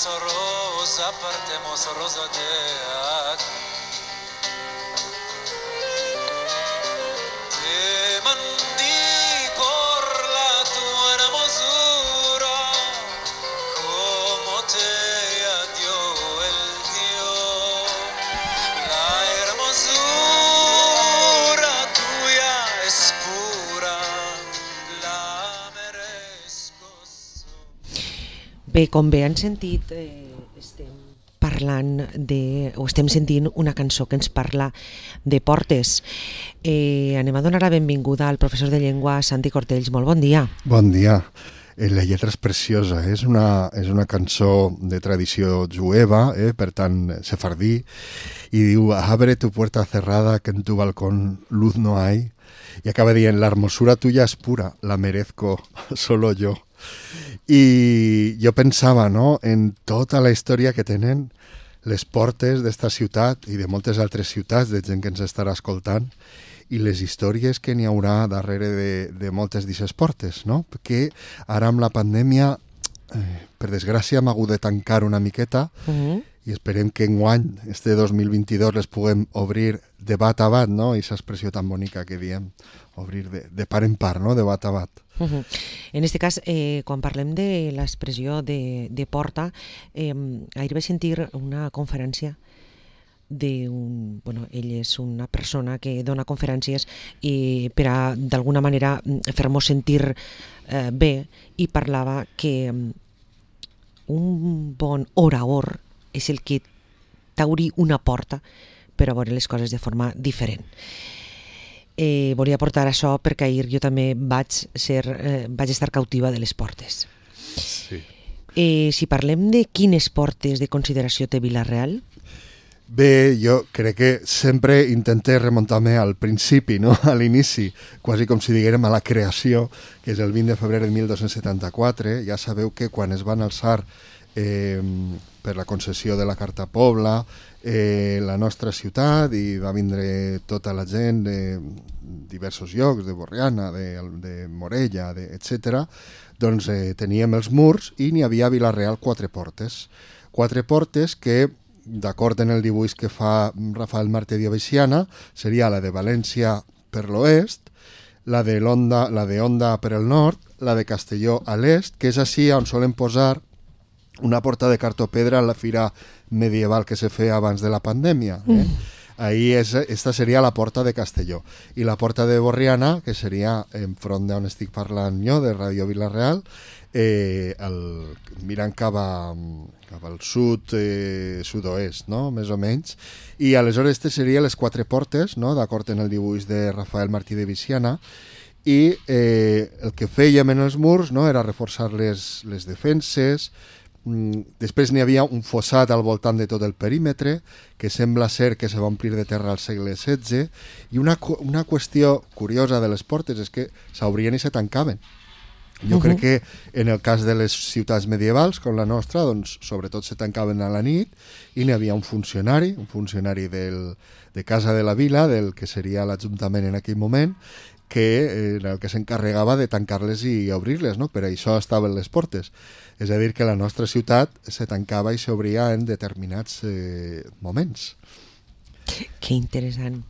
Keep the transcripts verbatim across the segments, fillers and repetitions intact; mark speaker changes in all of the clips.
Speaker 1: rosa, partemos rosa de aquí. Te mandí por la tu hermosura, como te dio el Dios. La hermosura tuya es pura, la merezco.
Speaker 2: Bé, com bé han sentit, eh, estem parlant de, o estem sentint una cançó que ens parla de portes. Eh, anem a donar la benvinguda al professor de llengua Santi Cortells. Molt bon dia.
Speaker 3: Bon dia. Eh, la lletra és preciosa, eh? és, una, és una cançó de tradició jueva, eh? per tant, sefardí, i diu, abre tu puerta cerrada que en tu balcón luz no hay, i acaba dient, la hermosura tuya es pura, la merezco solo yo. I jo pensava, no?, en tota la història que tenen les portes d'esta ciutat i de moltes altres ciutats, de gent que ens estarà escoltant, i les històries que n'hi haurà darrere de, de moltes d'aquestes portes, no? Perquè ara amb la pandèmia, eh, per desgràcia, hem hagut de tancar una miqueta, uh-huh. i esperem que enguany, este dos mil vint-i-dos, les puguem obrir de bat a bat, no? I aquesta expressió tan bonica que diem, obrir de, de part en part, no? De bat a bat.
Speaker 2: Uh-huh. En aquest cas, eh, quan parlem de l'expressió de, de porta, eh, ahir vaig sentir una conferència d'un, bueno, ell és una persona que dona conferències i per a d'alguna manera fer-nos sentir eh, bé, i parlava que un bon orador és el que t'obri una porta per a veure les coses de forma diferent. Eh, volia portar això perquè ahir jo també vaig, ser, eh, vaig estar cautiva de les portes.
Speaker 3: Sí.
Speaker 2: Eh, si parlem de quines portes de consideració té Vila-real?
Speaker 3: Bé, jo crec que sempre intenté remuntar-me al principi, no? A l'inici, quasi com si diguérem a la creació, que és el vint de febrer de mil dos-cents setanta-quatre. Ja sabeu que quan es van alçar eh, per la concessió de la Carta Pobla, eh, la nostra ciutat, i va vindre tota la gent de diversos llocs, de Borriana, de, de Morella, de, etcètera, doncs eh, teníem els murs i n'hi havia a Vila-real quatre portes. Quatre portes que, d'acord en el dibuix que fa Rafael Martí de Veciana, seria la de València per l'oest, la de l'Onda, la de Onda per el nord, la de Castelló a l'est, que és així on solen posar una porta de cartopedra a la fira medieval que se feia abans de la pandèmia. Eh? Mm. Ahí és, esta seria la porta de Castelló. I la porta de Borriana, que seria enfront d'on estic parlant jo, de Ràdio Vila-real, eh, el, mirant cap, a, cap al sud, eh, sud-oest, no? Més o menys. I aleshores aquestes serien les quatre portes, no? D'acord en el dibuix de Rafael Martí de Veciana, i eh, el que fèiem en els murs, no? Era reforçar les, les defenses. Després n'hi havia un fossat al voltant de tot el perímetre, que sembla ser que se va omplir de terra al segle setze, i una, una qüestió curiosa de les portes és que s'obrien i se tancaven. Jo uh-huh. crec que en el cas de les ciutats medievals, com la nostra, doncs sobretot se tancaven a la nit, i n'hi havia un funcionari, un funcionari del, de Casa de la Vila, del que seria l'Ajuntament en aquell moment, que era el que s'encarregava de tancar-les i obrir-les, no? Per això estaven les portes. És a dir, que la nostra ciutat se tancava i s'obria en determinats eh, moments.
Speaker 2: Que interessant.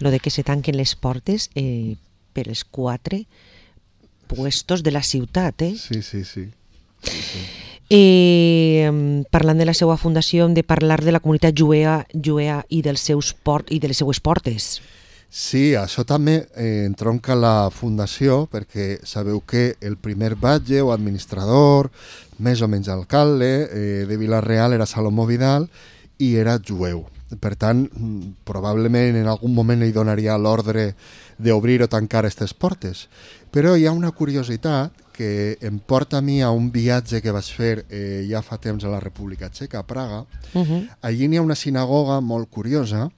Speaker 2: Lo de que se tanquen les portes eh, per els quatre puestos de la ciutat, eh?
Speaker 3: Sí, sí, sí. sí, sí.
Speaker 2: Eh, parlant de la seva fundació, hem de parlar de la comunitat jueva, jueva i, dels seus port, i de les seues portes.
Speaker 3: Sí, això també eh, entronca la fundació, perquè sabeu que el primer batlle o administrador, més o menys alcalde, eh, de Vila-real era Salomó Vidal i era jueu. Per tant, probablement en algun moment li donaria l'ordre d'obrir o tancar aquestes portes. Però hi ha una curiositat que em porta a mi a un viatge que vaig fer eh, ja fa temps a la República Txeca, a Praga. Uh-huh. Allí n'hi ha una sinagoga molt curiosa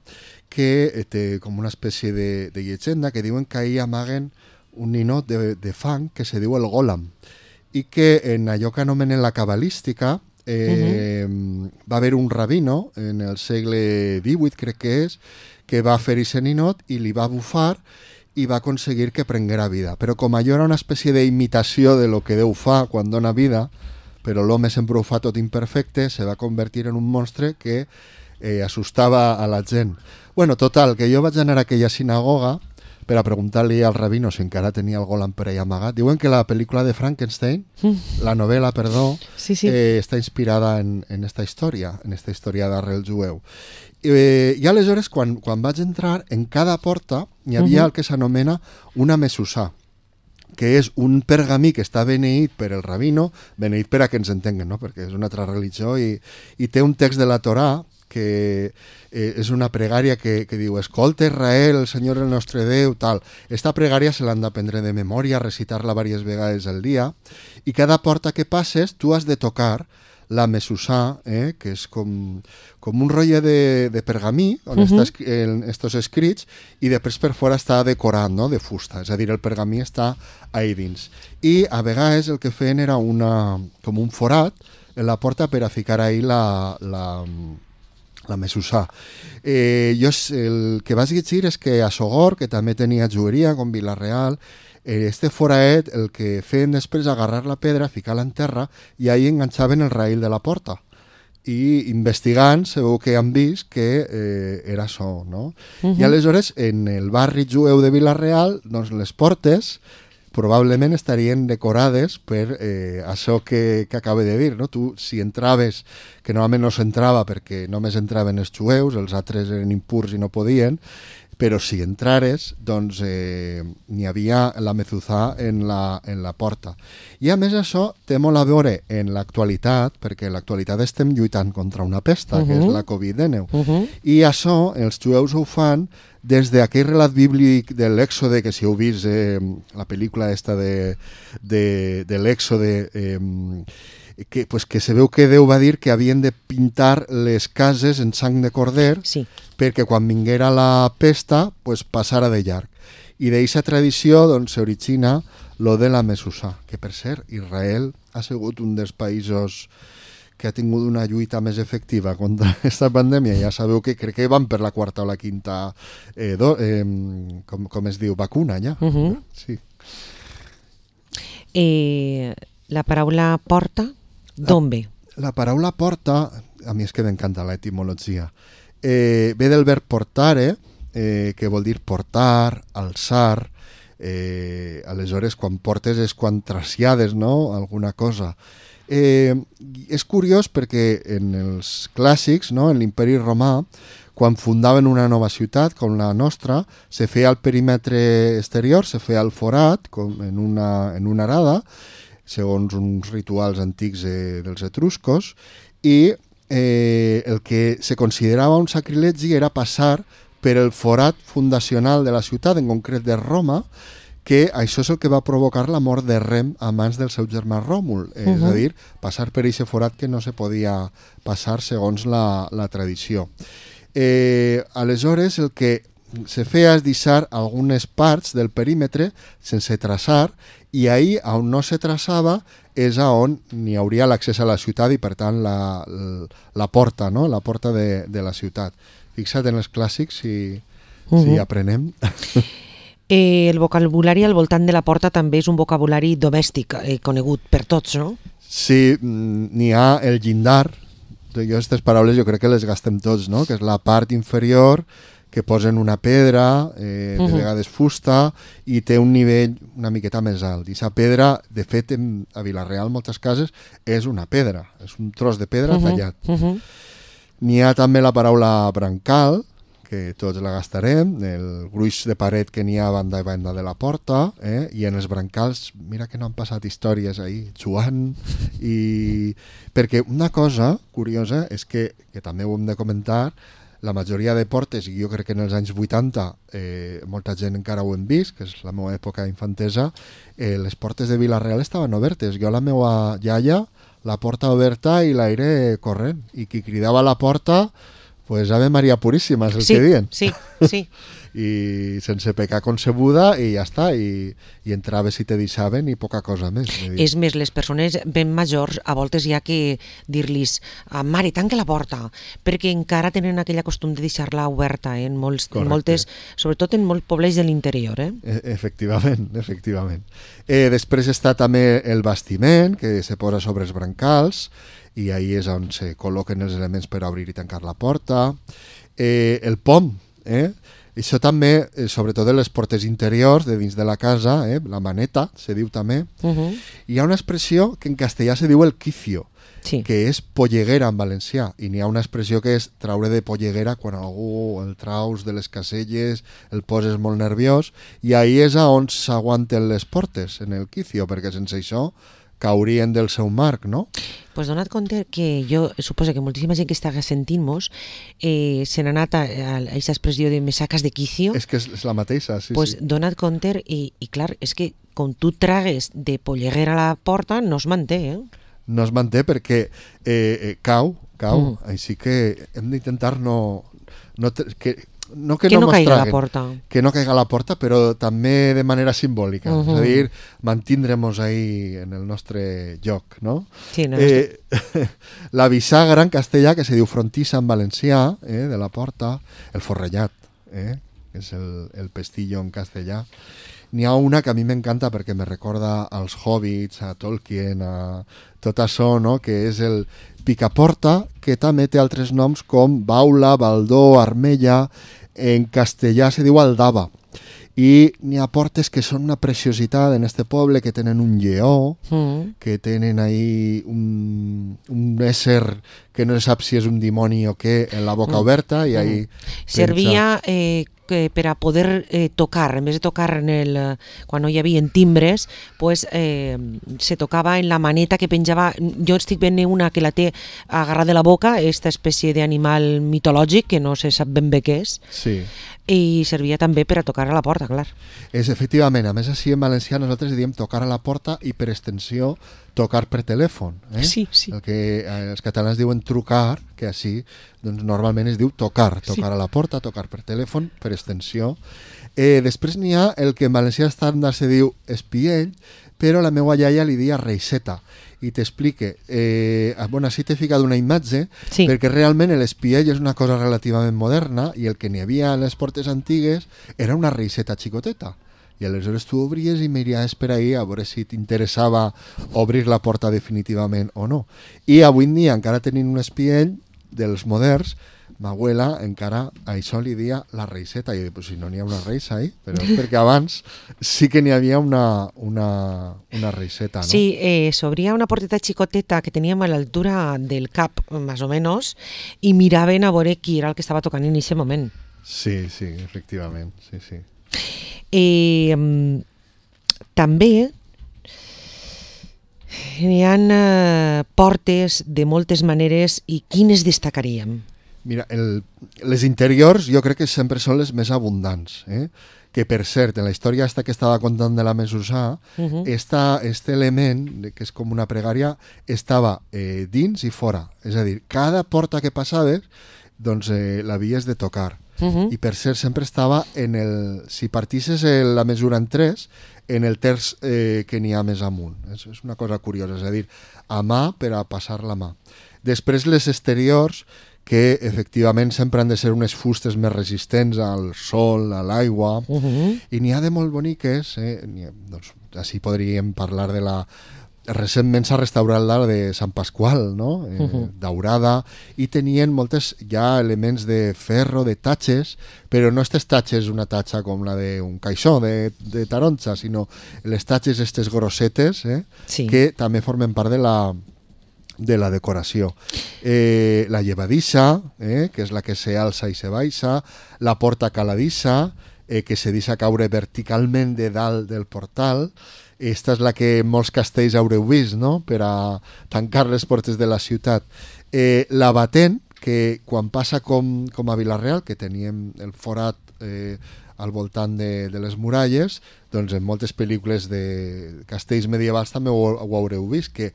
Speaker 3: que té com una espècie de, de llegenda que diuen que ahir amaguen un ninot de, de fang que se diu el Golam, i que en allò que anomenen la cabalística eh, uh-huh. va haver un rabino en el segle divuit, crec que és, que va fer aquest ninot i li va bufar i va aconseguir que prenguera vida. Però com allò era una espècie d'imitació de lo que Déu fa quan dona vida, però l'home sempre ho fa tot imperfecte, se va convertir en un monstre que eh, assustava a la gent. Bueno, total, que jo vaig anar a aquella sinagoga per a preguntar-li al rabino si encara tenia el Golan per allà amagat. Diuen que la pel·lícula de Frankenstein, mm. la novel·la, perdó,
Speaker 2: sí, sí.
Speaker 3: Eh, està inspirada en, en esta història, en esta història d'arrel jueu. Eh, I aleshores, quan, quan vaig entrar, en cada porta hi havia uh-huh. el que s'anomena una mesusà, que és un pergamí que està beneït per el rabino, beneït per a que ens entenguen, no? Perquè és una altra religió, i, i té un text de la Torà que eh, és una pregària que, que diu: escolta Israel, el Senyor el nostre Déu, tal. Esta pregària se l'han d'aprendre de memòria, recitar-la diverses vegades al dia, i cada porta que passes tu has de tocar la mesusà, eh, que és com, com un rotllo de, de pergamí on uh-huh. estan estos escrits, i després per fora està decorat, no?, de fusta, és a dir, el pergamí està ahí dins. I a vegades el que feien era una, com un forat en la porta per a ficar ahí la, la, la mesusà. Eh, jo el que vaig llegir és que a Sogor, que també tenia joieria, com Vila-real, este foraet el que feien després agarrar la pedra, ficar-la en terra i ahí enganxaven el raïl de la porta. I investigant se veu que han vist que eh, era això, no? Uh-huh. I aleshores en el barri jueu de Vila-real, doncs les portes probablement estarien decorades per eh, això que, que acabo de dir, no? Tu, si entraves, que normalment no s'entrava perquè només entraven els jueus, els altres eren impurs i no podien, però si entrares, doncs eh, n'hi havia la mezuzà en la, en la porta. I a més això té molt a veure en l'actualitat, perquè en l'actualitat estem lluitant contra una pesta, uh-huh. que és la covid dinou. Uh-huh. I això els jueus ho fan des d'aquell relat bíblic de l'Èxode, que si heu vist eh, la pel·lícula esta de, de, de l'Èxode, eh, que, pues, que se veu que Déu va dir que havien de pintar les cases en sang de corder, sí, perquè quan vinguera la pesta pues, passara de llarg. I d'aquesta tradició doncs, s'origina lo de la mesusà, que per cert, Israel ha sigut un dels països que ha tingut una lluita més efectiva contra aquesta pandèmia. Ja sabeu que crec que van per la quarta o la quinta, eh, do, eh, com, com es diu, vacuna ja. Uh-huh. Sí.
Speaker 2: Eh, la paraula porta, d'on ve?
Speaker 3: La, la paraula porta, a mi és que m'encanta l'etimologia, eh, ve del verb portare, eh, que vol dir portar, alçar, eh, aleshores quan portes és quan trasllades, no?, alguna cosa. Eh, és curiós perquè en els clàssics, no?, en l'imperi romà, quan fundaven una nova ciutat com la nostra, se feia el perímetre exterior, se feia el forat com en, una, en una arada, segons uns rituals antics eh, dels etruscos, i eh, el que se considerava un sacrilegi era passar per el forat fundacional de la ciutat, en concret de Roma, que això és el que va provocar la mort de Rem a mans del seu germà Ròmul, uh-huh. és a dir, passar per aquest forat que no se podia passar segons la, la tradició. Eh, aleshores, el que se feia és deixar algunes parts del perímetre sense traçar, i ahí on no se traçava és on n'hi hauria l'accés a la ciutat i per tant la, la, la porta, no?, la porta de, de la ciutat. Fixa't en els clàssics si, uh-huh. si aprenem.
Speaker 2: Eh, el vocabulari al voltant de la porta també és un vocabulari domèstic, eh, conegut per tots, no?
Speaker 3: Sí, n'hi ha el llindar. Jo aquestes paraules jo crec que les gastem tots, no?, que és la part inferior que posen una pedra, eh, de uh-huh. vegades fusta, i té un nivell una miqueta més alt. I aquesta pedra, de fet, en, a Vila-real, moltes cases, és una pedra, és un tros de pedra uh-huh. tallat. Uh-huh. N'hi ha també la paraula brancal, que tots la gastarem, el gruix de paret que n'hi ha a banda i banda de la porta, eh? I en els brancals, mira que no han passat històries ahí, jugant, i... perquè una cosa curiosa és que, que també ho hem de comentar, la majoria de portes, i jo crec que en els anys vuitanta eh, molta gent encara ho hem vist, que és la meva època infantesa, eh, les portes de Vila-real estaven obertes. Jo a la meva iaia, la porta oberta i l'aire corrent, i qui cridava a la porta, pues Ave Maria Puríssima, és el
Speaker 2: sí,
Speaker 3: que diuen.
Speaker 2: Sí, sí.
Speaker 3: i sense pecar concebuda i ja està, i, i entraves i te deixaven i poca cosa més.
Speaker 2: És més, les persones ben majors a voltes hi ha que dir-los mare, tanca la porta, perquè encara tenen aquella costum de deixar-la oberta, eh? en, molts, en moltes, sobretot en molts pobles de l'interior. Eh?
Speaker 3: E efectivament, efectivament. Eh, després està també el bastiment, que se posa sobre els brancals, i ahí és on se col·loquen els elements per obrir i tancar la porta. Eh, el pom, eh? Això també, eh, sobretot en les portes interiors de dins de la casa, eh? La maneta, se diu també. Uh -huh. Hi ha una expressió que en castellà se diu el quicio, sí. que és polleguera en valencià, i n'hi ha una expressió que és traure de polleguera quan algú el traus de les caselles, el poses molt nerviós, i ahí és on s'aguanten les portes, en el quicio, perquè sense això caurien del seu marc, no?
Speaker 2: Pues donat compte que jo suposo que moltíssima gent que està sentint-nos eh, se n'ha anat a aquesta expressió de me sacas de quicio.
Speaker 3: És que és, és la mateixa, sí,
Speaker 2: pues
Speaker 3: sí.
Speaker 2: Donat compte, i, i clar, és que com tu tragues de polleguera a la porta no es manté, eh?
Speaker 3: No es manté perquè eh, eh, cau, cau, mm. així que hem d'intentar no... no que, no que,
Speaker 2: que
Speaker 3: no,
Speaker 2: no caiga
Speaker 3: traguen,
Speaker 2: la porta.
Speaker 3: Que no caiga la porta, però també de manera simbòlica. Uh -huh. És a dir, mantindrem-nos ahí en el nostre lloc, no?
Speaker 2: Sí, no
Speaker 3: eh, la bisagra en castellà, que se diu frontissa en valencià, eh, de la porta, el forrellat, eh, que és el, el pestillo en castellà. N'hi ha una que a mi m'encanta perquè me recorda als Hobbits, a Tolkien, a tot això, no? Que és el picaporta, que també té altres noms com baula, baldó, armella. En castellà se diu aldaba. I n'hi ha portes que són una preciositat en este poble, que tenen un lleó, mm. que tenen ahí un, un ésser que no sap si és un dimoni o què, en la boca mm. oberta, i ahí...
Speaker 2: Mm. Servia... Eh... que per a poder eh, tocar, en vez de tocar en el, eh, quan no hi havia timbres, pues, eh, se tocava en la maneta que penjava. Jo estic veient una que la té agarrada de la boca, aquesta espècie d'animal mitològic que no se sap ben bé què és,
Speaker 3: sí.
Speaker 2: I servia també per a tocar a la porta, clar.
Speaker 3: És efectivament, a més així en valencià nosaltres diem tocar a la porta i per extensió tocar per telèfon. Eh?
Speaker 2: Sí, sí.
Speaker 3: El que eh, els catalans diuen trucar, que així doncs, normalment es diu tocar, tocar sí. a la porta, tocar per telèfon, per extensió. Eh, després n'hi ha el que en valencià estàndard se diu espiell, però la meva iaia li dia reixeta. I t'explique, eh, bueno, així t'he ficat una imatge, sí. perquè realment l'espiell és una cosa relativament moderna i el que n'hi havia a les portes antigues era una reixeta xicoteta. I aleshores tu obries i miraves per ahí a veure si t'interessava obrir la porta definitivament o no. I avui en dia, encara tenint un espiell dels moderns, ma abuela encara a això li dia la reixeta. I jo dic, pues si no n'hi ha una reixa ahí, però és perquè abans sí que n'hi havia una, una, una reixeta, no?
Speaker 2: Sí, eh, s'obria una porteta xicoteta que teníem a l'altura del cap, més o menys, i miraven a veure qui era el que estava tocant en aquest moment.
Speaker 3: Sí, sí, efectivament, sí, sí.
Speaker 2: Eh, també hi ha eh, portes de moltes maneres, i quines destacaríem?
Speaker 3: Mira, el, les interiors jo crec que sempre són les més abundants, eh? Que per cert, en la història esta que estava contant de la Mesussà, uh-huh. esta, este element, que és com una pregària, estava eh, dins i fora. És a dir, cada porta que passaves, doncs eh, l'havies de tocar. Uh-huh. I per cert, sempre estava en el... Si partisses la mesura en tres, en el terç eh, que n'hi ha més amunt. És, és una cosa curiosa, és a dir, a mà per a passar la mà. Després les exteriors, que efectivament sempre han de ser unes fustes més resistents al sol, a l'aigua, uh-huh. i n'hi ha de molt boniques, eh? ha, doncs, així podríem parlar de la... Recentment s'ha restaurat la de Sant Pasqual, no? eh, uh-huh. daurada, i tenien moltes ja elements de ferro, de tatxes, però no aquestes tatxes una tatxa com la d'un caixó de, de taronja, sinó les tatxes aquestes grossetes, eh? sí. que també formen part de la... de la decoració. Eh, la llevadissa, eh, que és la que se alça i se baixa, la porta caladissa, eh, que se deixa caure verticalment de dalt del portal. Esta és la que en molts castells haureu vist, no?, per a tancar les portes de la ciutat. Eh, la batent, que quan passa com, com a Vila-real, que teníem el forat eh, al voltant de, de les muralles, doncs en moltes pel·lícules de castells medievals també ho, ho haureu vist, que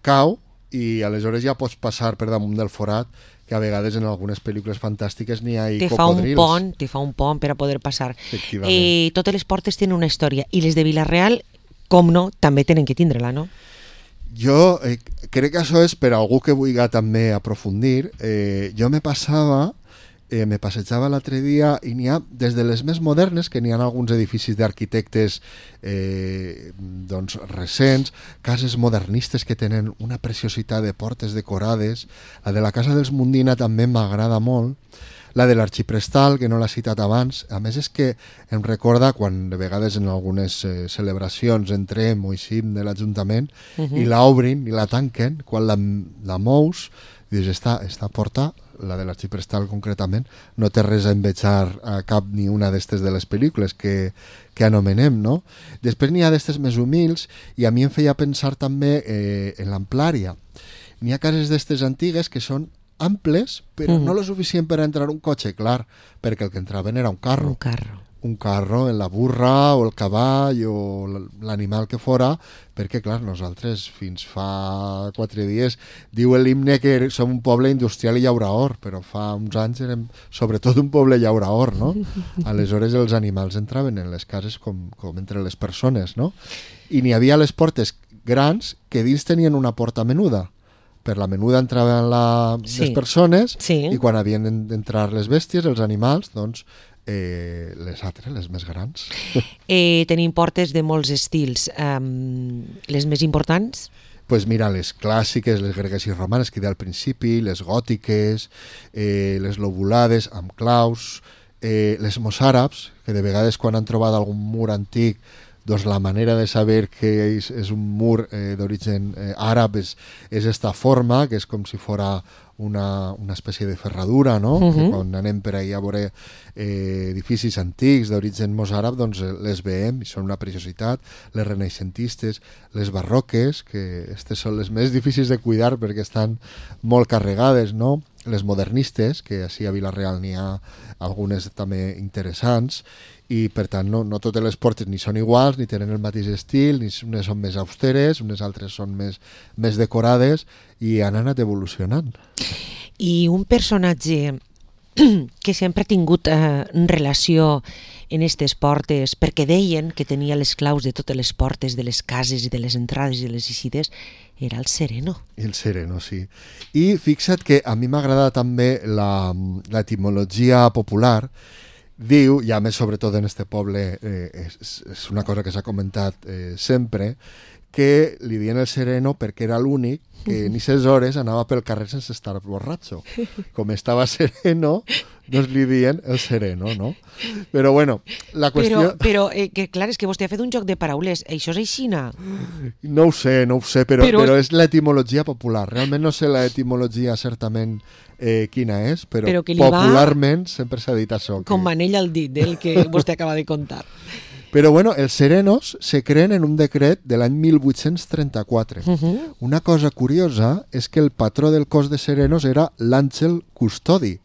Speaker 3: cau, i aleshores ja pots passar per damunt del forat, que a vegades en algunes pel·lícules fantàstiques n'hi ha
Speaker 2: te fa un
Speaker 3: cocodrils.
Speaker 2: pont, te fa un pont per a poder passar.
Speaker 3: Efectivament.
Speaker 2: Eh, totes les portes tenen una història i les de Vila-real, com no, també tenen que tindre-la, no?
Speaker 3: Jo eh, crec que això és per a algú que vulgui també aprofundir. Eh, jo me passava, eh, me passejava l'altre dia i n'hi ha, des de les més modernes, que n'hi ha alguns edificis d'arquitectes eh, doncs recents, cases modernistes que tenen una preciositat de portes decorades. La de la Casa dels Mundina també m'agrada molt. La de l'Arxiprestal, que no l'ha citat abans, a més és que em recorda quan de vegades en algunes eh, celebracions entrem o eixim de l'Ajuntament uh -huh. i la obrin i la tanquen, quan la, la mous, dius, esta, esta porta, la de l'Arxiprestal concretament, no té res a envejar a cap ni una d'estes de les pel·lícules que, que anomenem, no? Després n'hi ha d'estes més humils i a mi em feia pensar també eh, en l'Amplària. N'hi ha cases d'estes antigues que són amples, però mm. no lo suficient per entrar un cotxe, clar, perquè el que entraven era un carro.
Speaker 2: Un carro.
Speaker 3: Un carro en la burra o el cavall o l'animal que fora, perquè, clar, nosaltres fins fa quatre dies diu l'himne que som un poble industrial i llauraor, però fa uns anys érem sobretot un poble llauraor, no? Aleshores els animals entraven en les cases com, com entre les persones, no? I n'hi havia les portes grans que dins tenien una porta menuda. Per la menuda entraven la, sí. les persones
Speaker 2: sí.
Speaker 3: i quan havien d'entrar les bèsties, els animals, doncs eh, les altres, les més grans.
Speaker 2: Eh, tenim portes de molts estils. Um, les més importants?
Speaker 3: Pues mira, les clàssiques, les gregues i romanes que deia al principi, les gòtiques, eh, les lobulades amb claus, eh, les mossàrabs, que de vegades quan han trobat algun mur antic doncs la manera de saber que és, és un mur eh, d'origen eh, àrab és, és esta forma, que és com si fora una, una espècie de ferradura, no? Uh-huh. Que quan anem per ahí a veure eh, edificis antics d'origen mossàrab, doncs les veiem i són una preciositat. Les renaixentistes, les barroques, que aquestes són les més difícils de cuidar perquè estan molt carregades, no? Les modernistes, que així a Vila-real n'hi ha algunes també interessants, i per tant no, no totes les portes ni són iguals, ni tenen el mateix estil, ni unes són més austeres, unes altres són més, més decorades i han anat evolucionant.
Speaker 2: I un personatge que sempre ha tingut eh, relació en aquestes portes, perquè deien que tenia les claus de totes les portes de les cases i de les entrades i de les eixides, era el Sereno.
Speaker 3: El Sereno, sí. I fixa't que a mi m'agrada també la, l'etimologia popular. Diu, i a més sobretot en este poble eh, és, és una cosa que s'ha comentat eh, sempre, que li diuen el Sereno perquè era l'únic que en aquestes hores anava pel carrer sense estar borratxo. Com estava sereno, doncs li diuen el Sereno, no? Però bueno, la qüestió...
Speaker 2: Però, però eh, que clar, és que vostè ha fet un joc de paraules. Això és aixina?
Speaker 3: No ho sé, no ho sé, però,
Speaker 2: però...
Speaker 3: però és l'etimologia popular. Realment no sé l'etimologia certament eh, quina és, però,
Speaker 2: però
Speaker 3: popularment va... sempre s'ha dit això.
Speaker 2: Com
Speaker 3: que...
Speaker 2: manella al dit del que vostè acaba de contar.
Speaker 3: Però bueno, els serenos se creen en un decret de l'any mil vuit-cents trenta-quatre.
Speaker 2: Uh-huh.
Speaker 3: Una cosa curiosa és que el patró del cos de serenos era l'Àngel Custodi,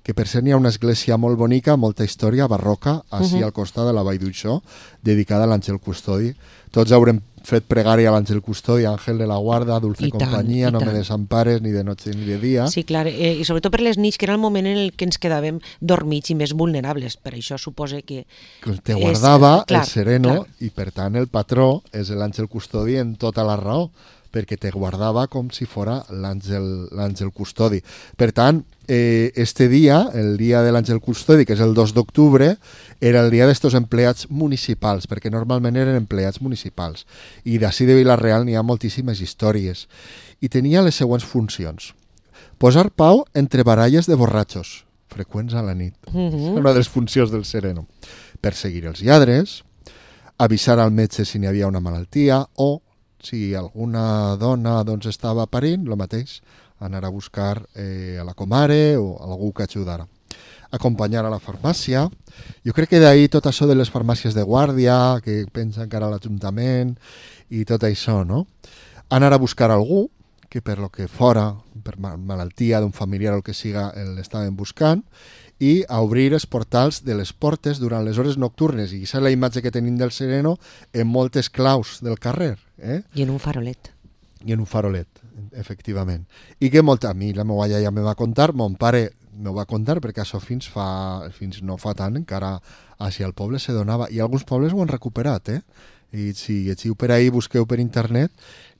Speaker 3: que per cert hi ha una església molt bonica, molta història barroca, així uh-huh. al costat de la Vall d'Uixó, dedicada a l'Àngel Custodi. Tots haurem fet pregària a l'Àngel Custodi, Àngel de la Guarda, Dulce
Speaker 2: I
Speaker 3: Compañía,
Speaker 2: tant,
Speaker 3: no
Speaker 2: tant.
Speaker 3: me desampares ni de noche ni de dia.
Speaker 2: Sí, clar, eh, i sobretot per les nits, que era el moment en el que ens quedàvem dormits i més vulnerables. Per això suposa que...
Speaker 3: Te guardava
Speaker 2: és, clar,
Speaker 3: el sereno
Speaker 2: clar.
Speaker 3: I per tant el patró és l'Àngel Custodi en tota la raó, perquè te guardava com si fora l'àngel, l'àngel custodi. Per tant, eh, este dia, el dia de l'àngel custodi, que és el dos d'octubre, era el dia d'estos empleats municipals, perquè normalment eren empleats municipals. I d'ací de Vila-real n'hi ha moltíssimes històries. I tenia les següents funcions. Posar pau entre baralles de borratxos, freqüents a la nit.
Speaker 2: Uh-huh.
Speaker 3: Una de les funcions del sereno. Perseguir els lladres, avisar al metge si n'hi havia una malaltia o si alguna dona doncs, estava parint, el mateix, anar a buscar eh, a la comare o algú que ajudara. Acompanyar a la farmàcia. Jo crec que d'ahir tot això de les farmàcies de guàrdia, que pensen que ara l'Ajuntament i tot això, no? Anar a buscar algú que per lo que fora, per malaltia d'un familiar o el que siga, l'estaven buscant, i a obrir els portals de les portes durant les hores nocturnes. I aquesta és la imatge que tenim del sereno en moltes claus del carrer. Eh?
Speaker 2: I en un farolet.
Speaker 3: I en un farolet. efectivament. I que molta, a mi la meva iaia me va contar, mon pare me va contar, perquè això fins fa fins no fa tant, encara així al poble se donava, i alguns pobles ho han recuperat, eh? I si llegiu per ahí, busqueu per internet,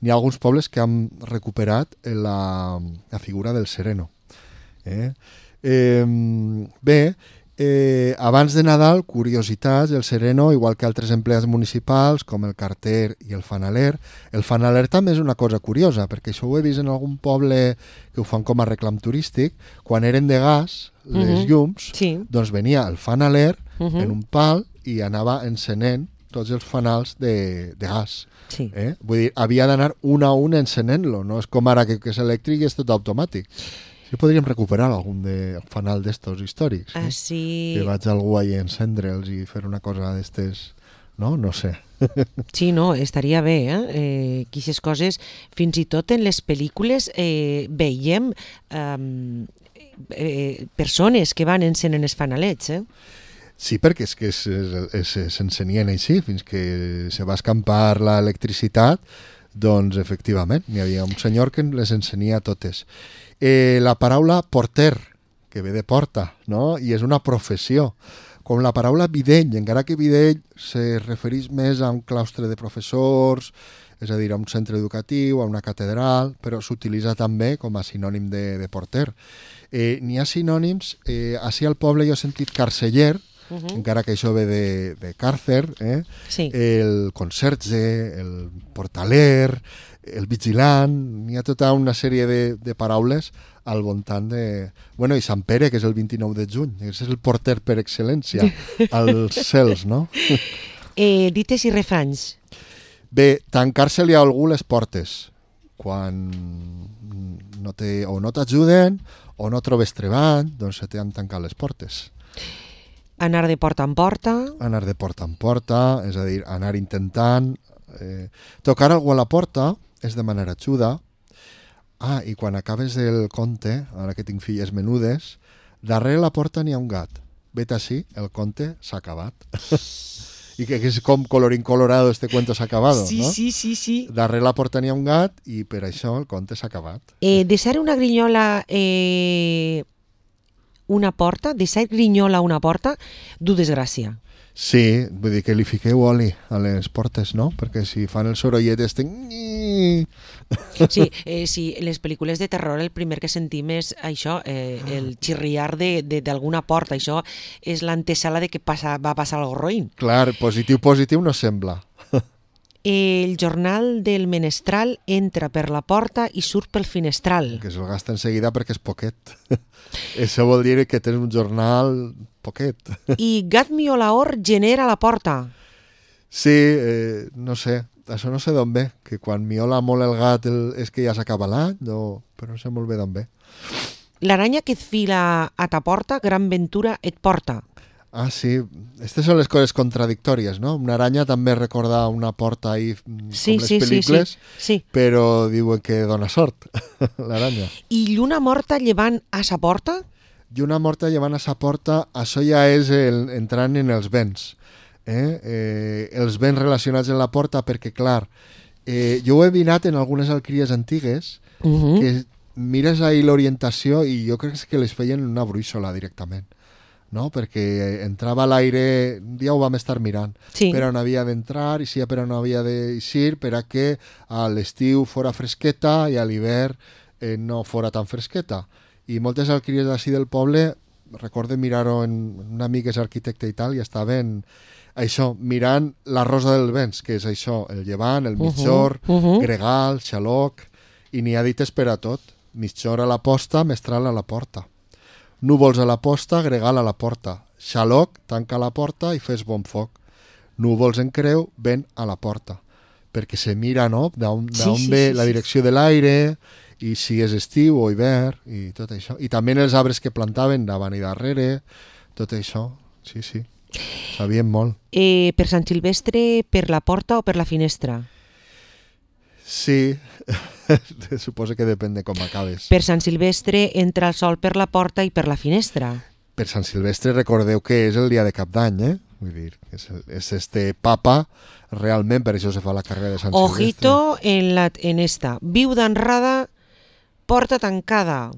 Speaker 3: n'hi ha alguns pobles que han recuperat la, la figura del sereno. Eh? Eh, bé, eh, abans de Nadal, curiositats, el sereno, igual que altres empleats municipals, com el carter i el fanaler. El fanaler també és una cosa curiosa, perquè això ho he vist en algun poble que ho fan com a reclam turístic, quan eren de gas, les
Speaker 2: Uh-huh.
Speaker 3: llums,
Speaker 2: Sí.
Speaker 3: doncs venia el fanaler
Speaker 2: Uh-huh.
Speaker 3: en un pal i anava encenent tots els fanals de, de gas.
Speaker 2: Sí.
Speaker 3: Eh? Vull dir, havia d'anar un a un encenent-lo, no és com ara que, que és elèctric i és tot automàtic. Sí, podríem recuperar algun de fanal d'estos històrics. Eh?
Speaker 2: Així...
Speaker 3: Que vaig algú ahí a encendre'ls i fer una cosa d'estes... No? No sé.
Speaker 2: Sí, no, estaria bé, eh? eh Quixes coses, fins i tot en les pel·lícules eh, veiem eh, eh, persones que van encenent els fanalets, eh?
Speaker 3: Sí, perquè és que s'encenien així, fins que se va escampar l'electricitat, doncs efectivament, hi havia un senyor que les encenia totes. Eh, la paraula porter, que ve de porta, no? I és una professió. Com la paraula videll, encara que videll se refereix més a un claustre de professors, és a dir, a un centre educatiu, a una catedral, però s'utilitza també com a sinònim de, de porter. Eh, N'hi ha sinònims, eh, així al poble jo he sentit carceller, Uh-huh. encara que això ve de, de càrcer, eh?
Speaker 2: Sí.
Speaker 3: El conserge, el portaler, el vigilant, n'hi ha tota una sèrie de, de paraules al voltant de... Bueno, i Sant Pere, que és el vint-i-nou de juny, és el porter per excel·lència als cels, no?
Speaker 2: Eh, dites i refranys.
Speaker 3: Bé, tancar-se-li a algú les portes, quan no te, o no t'ajuden o no trobes treball, doncs se t'han tancat les portes.
Speaker 2: Anar de porta en porta.
Speaker 3: Anar de porta en porta, és a dir, anar intentant... Eh, tocar algú a la porta és demanar ajuda. Ah, i quan acabes el conte, ara que tinc filles menudes, darrere la porta n'hi ha un gat. Vet així, el conte s'ha acabat. I que, que és com colorín colorado, este cuento s'ha acabado,
Speaker 2: Sí,
Speaker 3: no?
Speaker 2: sí, sí, sí.
Speaker 3: Darrere la porta n'hi ha un gat i per això el conte s'ha acabat.
Speaker 2: Eh, deixar una grinyola... Eh... una porta, deixar grinyola a una porta, du desgràcia.
Speaker 3: Sí, vull dir que li fiqueu oli a les portes, no? Perquè si fan el sorollet este...
Speaker 2: Sí, eh, sí, en les pel·lícules de terror el primer que sentim és això, eh, el xirriar de, de, d'alguna porta. Això és l'antesala de que passa, va passar algo roïn.
Speaker 3: Clar, positiu, positiu no sembla.
Speaker 2: El jornal del menestral entra per la porta i surt pel finestral.
Speaker 3: Que se'l gasta enseguida perquè és poquet. Això vol dir que tens un jornal poquet.
Speaker 2: I gat miolaor genera la porta.
Speaker 3: Sí, eh, no sé, això no sé d'on ve, que quan miola molt el gat el, és que ja s'acaba l'any, no, però no sé molt bé d'on ve.
Speaker 2: L'aranya que et fila a ta porta, gran ventura et porta.
Speaker 3: Ah, sí, aquestes són les coses contradictòries, no? Una aranya també recorda una porta ahí,
Speaker 2: Sí,
Speaker 3: com les
Speaker 2: sí, sí,
Speaker 3: pel·lícules,
Speaker 2: sí, sí.
Speaker 3: però diuen que dona sort, l'aranya.
Speaker 2: I lluna morta llevant a sa porta?
Speaker 3: I una morta llevant a sa porta, això ja és el, entrant en els béns. Eh? Eh, els béns relacionats amb la porta, perquè, clar, eh, jo ho he vinat en algunes alqueries antigues,
Speaker 2: Uh -huh.
Speaker 3: que mires ahí l'orientació i jo crec que les feien en una brúixola directament. No? Perquè entrava a l'aire, un dia ho vam estar mirant,
Speaker 2: Sí.
Speaker 3: per on havia d'entrar i si per on havia d'eixir, per a que a l'estiu fora fresqueta i a l'hivern eh, no fora tan fresqueta. I moltes alqueries d'ací del poble, recorde mirar-ho en un amic que és arquitecte i tal, i estaven això, mirant la rosa dels vents, que és això, el llevant, el mitjor,
Speaker 2: Uh -huh.
Speaker 3: gregal, xaloc, i n'hi ha dites per a tot. Mitjor a la posta, mestral a la porta. Núvols a la posta, gregal a la porta. Xaloc, tanca la porta i fes bon foc. Núvols en creu, vent a la porta. Perquè se mira, no?, d'on
Speaker 2: Sí, sí,
Speaker 3: ve
Speaker 2: sí,
Speaker 3: la
Speaker 2: sí.
Speaker 3: direcció de l'aire, i si és estiu o hivern, i tot això. I també els arbres que plantaven davant i darrere, tot això. Sí, sí. Sabien molt.
Speaker 2: Eh, per Sant Silvestre, per la porta o per la finestra?
Speaker 3: Sí, suposo que depèn de com acabes.
Speaker 2: Per Sant Silvestre entra el sol per la porta i per la finestra.
Speaker 3: Per Sant Silvestre recordeu que és el dia de Cap d'Any, eh? Vull dir, és, és este papa, realment, per això se fa la carrera de Sant Silvestre.
Speaker 2: Ojito en, la, en esta. Viuda honrada, porta tancada.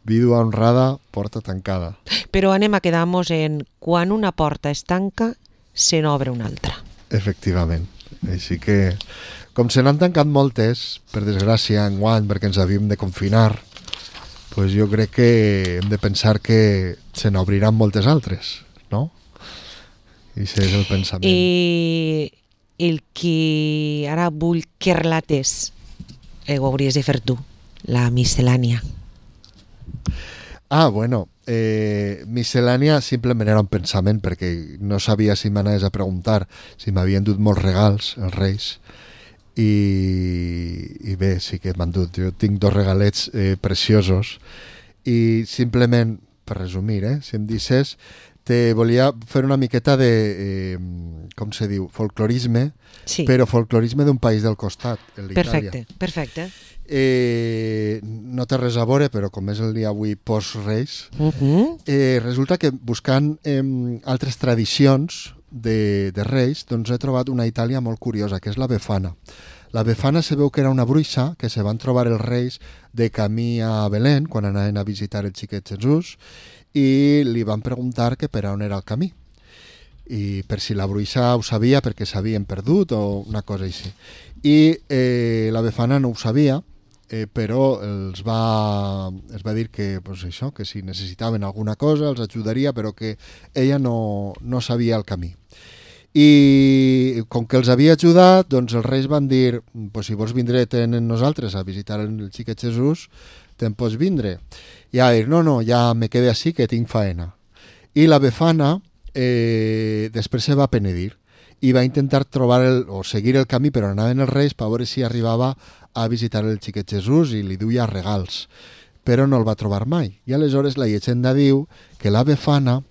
Speaker 3: Vídua honrada, porta tancada.
Speaker 2: Però anem a quedar-nos en quan una porta es tanca, se n'obre una altra.
Speaker 3: Efectivament. Així que, com se n'han tancat moltes, per desgràcia, enguany, perquè ens havíem de confinar, pues jo crec que hem de pensar que se n'obriran moltes altres, no? I això és el pensament.
Speaker 2: I el que ara vull que relates, eh, ho hauries de fer tu, la miscel·lània.
Speaker 3: Ah, bueno, eh, miscel·lània simplement era un pensament perquè no sabia si m'anaves a preguntar si m'havien dut molts regals, els Reis, i, i bé, sí que m'han dut. Jo tinc dos regalets eh, preciosos i simplement, per resumir, eh, si em dices, te volia fer una miqueta de, eh, com se diu, folclorisme,
Speaker 2: Sí.
Speaker 3: però folclorisme d'un país del costat, l'Itàlia.
Speaker 2: Perfecte, perfecte.
Speaker 3: Eh, no té res a veure, però com és el dia avui post-Reis,
Speaker 2: Uh -huh.
Speaker 3: eh, resulta que buscant eh, altres tradicions de, de Reis, doncs he trobat una Itàlia molt curiosa, que és la Befana. La Befana se veu que era una bruixa que se van trobar els Reis de camí a Belén, quan anaven a visitar el xiquet Jesús, i li van preguntar que per on era el camí. I per si la bruixa ho sabia perquè s'havien perdut o una cosa així. I eh, la Befana no ho sabia, eh, però els va, es va dir que, pues això, que si necessitaven alguna cosa els ajudaria, però que ella no, no sabia el camí. I com que els havia ajudat, doncs els Reis van dir, pues si vols vindre amb nosaltres a visitar el xiquet Jesús, te'n pots vindre. I va dir, no, no, ja me quede així que tinc faena. I la Befana eh, després se va penedir i va intentar trobar el, o seguir el camí, però anaven els Reis per veure si arribava a visitar el xiquet Jesús i li duia regals, però no el va trobar mai. I aleshores la llegenda diu que la Befana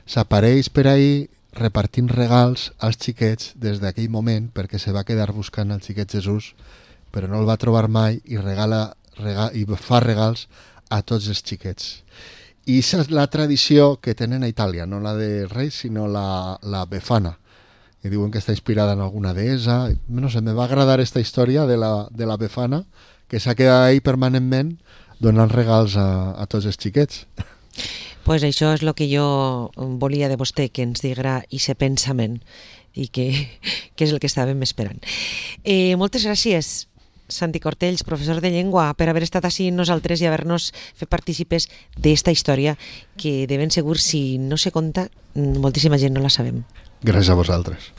Speaker 3: s'apareix per ahir repartint regals als xiquets des d'aquell moment, perquè se va quedar buscant el xiquet Jesús, però no el va trobar mai i, regala, rega, i fa regals a tots els xiquets. I aquesta és la tradició que tenen a Itàlia, no la de Reis, sinó la, la Befana. I diuen que està inspirada en alguna deessa. No sé, me va agradar aquesta història de la, de la Befana, que s'ha quedat ahí permanentment donant regals a, a tots els xiquets.
Speaker 2: Pues això és el que jo volia de vostè, que ens digra aquest pensament i que, que és el que estàvem esperant. Eh, moltes gràcies, Santi Cortells, professor de llengua, per haver estat així nosaltres i haver-nos fet partícipes d'esta història que de ben segur, si no se conta, moltíssima gent no la sabem.
Speaker 3: Gràcies a vosaltres.